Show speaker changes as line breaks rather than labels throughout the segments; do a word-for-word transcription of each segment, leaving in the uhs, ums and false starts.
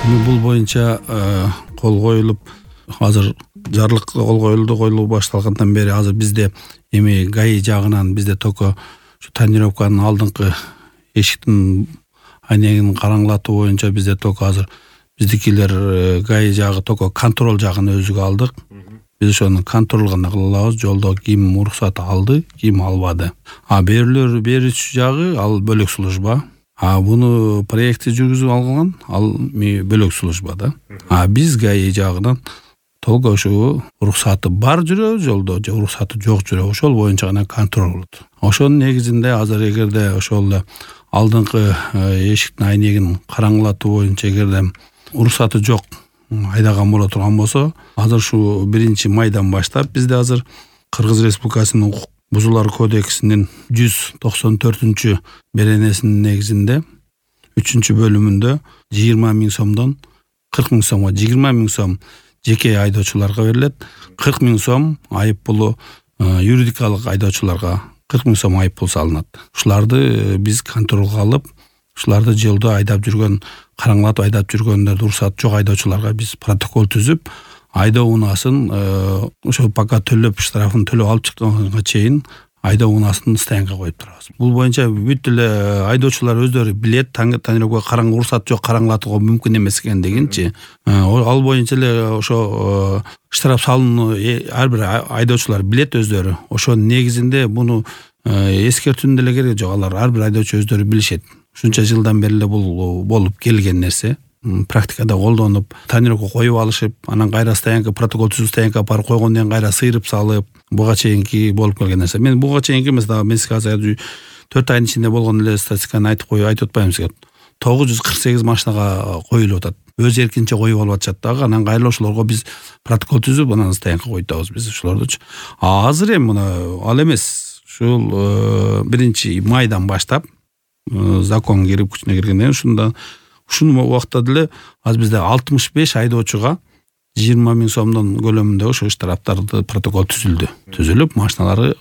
Бул боюнча кол коюлуп, азыр жарлык кол коюлду, коюлуу башталгандан бери азыр бизде эми ГАИ жагынан бизде только ушу тонировканын алдыңкы эшиктин айнегин караңылатуу боюнча бизде только азыр биздикилер ГАИ жагы только контроль жагын өзүгө алдык. Биз ошону контроль гана кыла алабыз. Жолдо ким уруксат алды, ким албады. А берүүлөр берүүчү жагы ал бөлөк служба. А буну проектти жүргүзүп алган ал бөлөк служба да. А биз ГАИ жагынан толго ошо уруксаты бар жүрөбүз жолдо, же уруксаты жок жүрөбүз, ошол боюнча гана контроль кылат. Ошонун негизинде азыр эгерде ошол алдыңкы эшиктин айнегин караңылатуу боюнча эгерде уруксаты жок айдаган боло турган болсо, азыр ушу биринчи майдан баштап бизде азыр Кыргыз Республикасынын укук бузуулар кодексинин жүз токсон төртүнчү беренесинин негизинде үчүнчү бөлүмүндө жыйырма миң сомдон кырк миң сомго, жыйырма миң сом жеке айдоочуларга берилет, кырк миң сом айып пулу юридикалык айдоочуларга кырк миң сом айып пул салынат. Ушуларды биз контролго алып, ушуларды жолдо айдап жүргөн, караңылатып айдап жүргөндөрдү уруксаты жок айдоочуларга биз протокол түзүп, айдоо унаасын ошо пока төлөп, штрафын төлөп алып чыкканга чейин айдоо унаасын стоянкага коюп турабыз. Бул боюнча бүт эле айдоочулар өздөрү билет, тонировка караң уруксат жок караңылатууга мүмкүн эмес экендигинчи. Ал боюнча эле ошо штраф салынуу ар бир айдоочулар билет өздөрү. Ошонун негизинде буну эскертүүнүн деле кереги жок. Алар ар бир айдоочу өздөрү билишет. Ушунча жылдан бери эле бул болуп келген нерсе. Практикада колдонуп, тонировка коюп алышып, анан кайра стоянка протокол түзүп стоянка барып койгондон кийин кайра сыйрып салып, буга чейинки болуп келген нерсе. Мен буга чейинки эмес, да мен сизге азыр төрт айдын ичинде болгон эле статистиканы айтып коюп айтып атпаймын сизге. тогуз жүз кырк сегиз машинага коюлуп атат. Өз эркинче коюп алып атышат дагы. Анан кайра ошолорго биз протокол түзүп, анан стоянка койтабыз биз ошолордучу. А азыр эми мына ал эмес. Ушул биринчи майдан баштап закон кирип күчүнө киргенден ушунда ушул убакта деле азыр бизде алтымыш беш айдоочуга жыйырма миң сомдон көлөмүндө ошо штрафтарды протокол түзүлдү. Түзүлүп, машиналары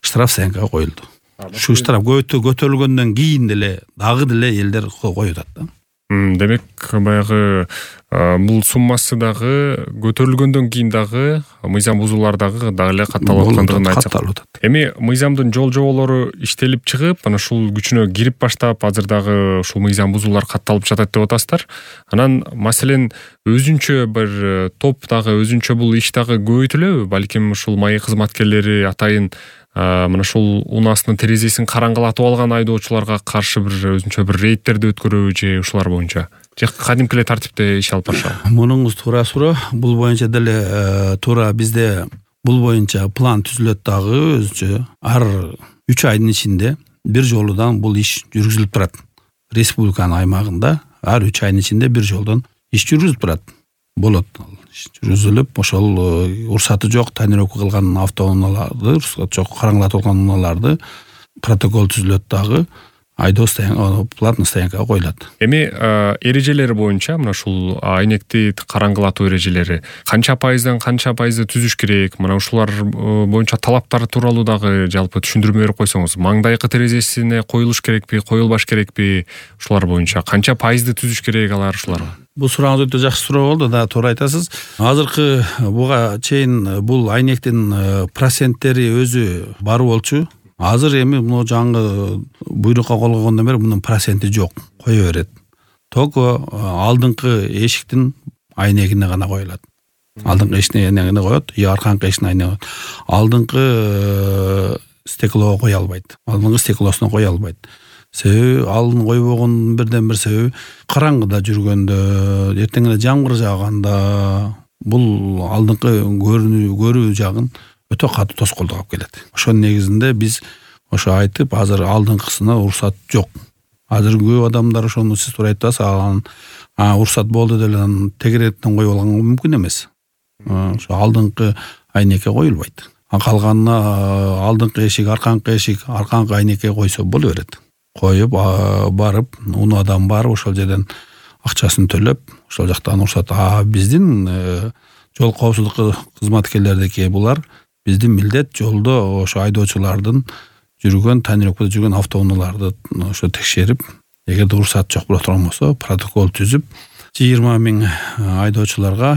штраф стоянкага коюлду. Ушу штраф көтөрүлгөндөн кийин деле дагы деле элдер коюп атат да.
Демек баягы бул суммасы дагы көтөрүлгөндөн кийин дагы мыйзам бузуулар дагы дагы эле катталып аткандыгын айтсак. Эми мыйзамдын жол жоболору иштелип чыгып, анан ушул күчүнө кирип баштап, азыр дагы ушул мыйзам бузуулар катталып жатат деп атасыздар. Анан маселен өзүнчө бир топ дагы өзүнчө бул иш дагы көбөйтүлөбү? Балким ушул МАИ кызматкерлери атайын мына ушул унааснын терезесин караңгылатып алган айдоочуларга каршы бир өзүнчө бир рейдтерди өткөрөбү же ушулар боюнча? Же кадимки эле тартипте иш алып барышабы?
Мунуңуз туура суроо. Бул боюнча деле туура бизде бул боюнча план түзүлөт дагы өзүнчө. Ар үч айдын ичинде бир жолудан бул иш жүргүзүлүп турат. Республиканын аймагында ар үч айдын ичинде бир жолдон иш жүргүзүлүп турат. Болот. Жүргүзүлүп, ошол уруксаты жок тонировка кылган автоунааларды, уруксаты жок караңгылатып алган унааларды протокол түзүлөт дагы. Айдоо стоянка, платный стоянкага коюлат.
Эми эрежелери боюнча мына ушул айнекти караңгылатуу эрежелери канча пайыздан канча пайызды түзүш керек? Мына ушулар боюнча талаптары тууралуу дагы жалпы түшүндүрмө берип койсоңуз. Маңдайкы терезесине коюлуш керекпи, коюлбаш керекпи? Ушулар боюнча канча пайызды түзүш керек алар ушуларга?
Бул сурооңуз өтө жакшы суроо болду да, туура айтасыз. Азыркы буга чейин бул айнектин проценттери өзү бар болчу. Азыр эми мына жаңы буйрукка кол койгондон бери мунун проценти жок, кое берет. Только алдыңкы эшиктин айнегине гана коюлат. Алдыңкы эшиктин айнегине коет, же аркаңкы эшиктин айнегине коет. Алдыңкы стеклого кое албайт. Алдыңкы стеклосуна кое албайт. Себеби алдын койбогондун бирден бир себеби караңгыда жүргөндө, эртең эле жамгыр жааганда бул алдыңкы көрүнүү көрүү жагын өтө катуу тоскоолдук алып келет. Ошонун негизинде биз ошо айтып, азыр алдыңкысына уруксат жок. Азыр көп адамдар ошону сиз туура айтасыз, анан уруксат болду деп эле тегеректен коюп алганга мүмкүн эмес. Ошо алдыңкы айнекке коюлбайт. Калганына алдыңкы эшик, аркаңкы эшик, аркаңкы айнекке койсо боло берет. Коюп барып, унаадан барып ошол жерден акчасын төлөп, ошол жактан уруксат. А биздин жол коопсуздук кызматкерлердики булар биздин милдет жолдо ошо айдоочулардын жүргөн, тонировкада жүргөн автоунааларды ошо текшерип, эгерде уруксат жок боло турган болсо протокол түзүп жыйырма миң айдоочуларга,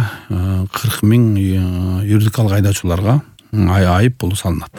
кырк миң юридикалык айдоочуларга айып пул салынат.